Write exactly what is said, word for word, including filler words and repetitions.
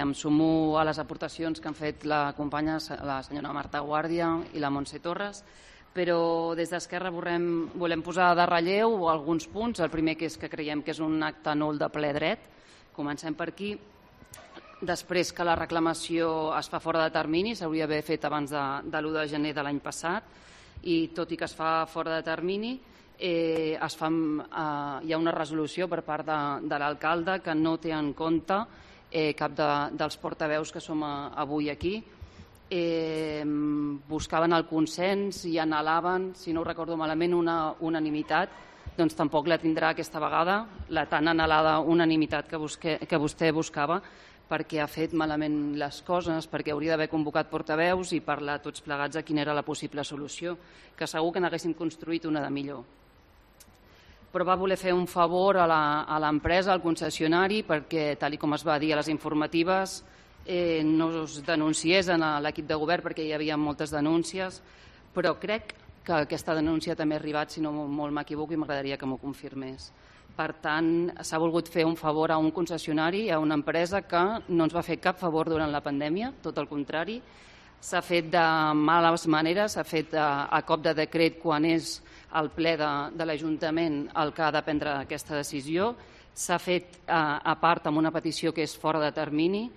Em sumo a les aportacions que han fet la companya, la senyora Marta Guàrdia i la Montse Torres, però des d'Esquerra volem, volem posar de relleu alguns punts. El primer que és que creiem que és un acte nul de ple dret. Comencem per aquí. Després que la reclamació es fa fora de termini, s'hauria d'haver fet abans de, de l'u de gener de l'any passat, i tot i que es fa fora de termini, eh, es fa, eh, hi ha una resolució per part de, de l'alcalde que no té en compte eh, cap de, dels portaveus que som a, avui aquí. Eh, buscaven el consens i anhelaven, si no ho recordo malament, una unanimitat, doncs tampoc la tindrà aquesta vegada, la tan anhelada unanimitat que, busque, que vostè buscava, perquè ha fet malament les coses, perquè hauria d'haver convocat portaveus i parlar tots plegats de quina era la possible solució, que segur que n'haguéssim construït una de millor. Però va voler fer un favor a l'empresa, al concessionari, perquè, tal com es va dir a les informatives, eh, no es denunciés a l'equip de govern perquè hi havia moltes denúncies, però crec que aquesta denúncia també ha arribat, si no molt m'equivoco, i m'agradaria que m'ho confirmés. Per tant, s'ha volgut fer un favor a un concessionari, a una empresa que no ens va fer cap favor durant la pandèmia, tot el contrari. S'ha fet de males maneres, s'ha fet a, a cop de decret quan és el ple de, de l'Ajuntament el que ha de prendre aquesta decisió. S'ha fet a, a part amb una petició que és fora de termini.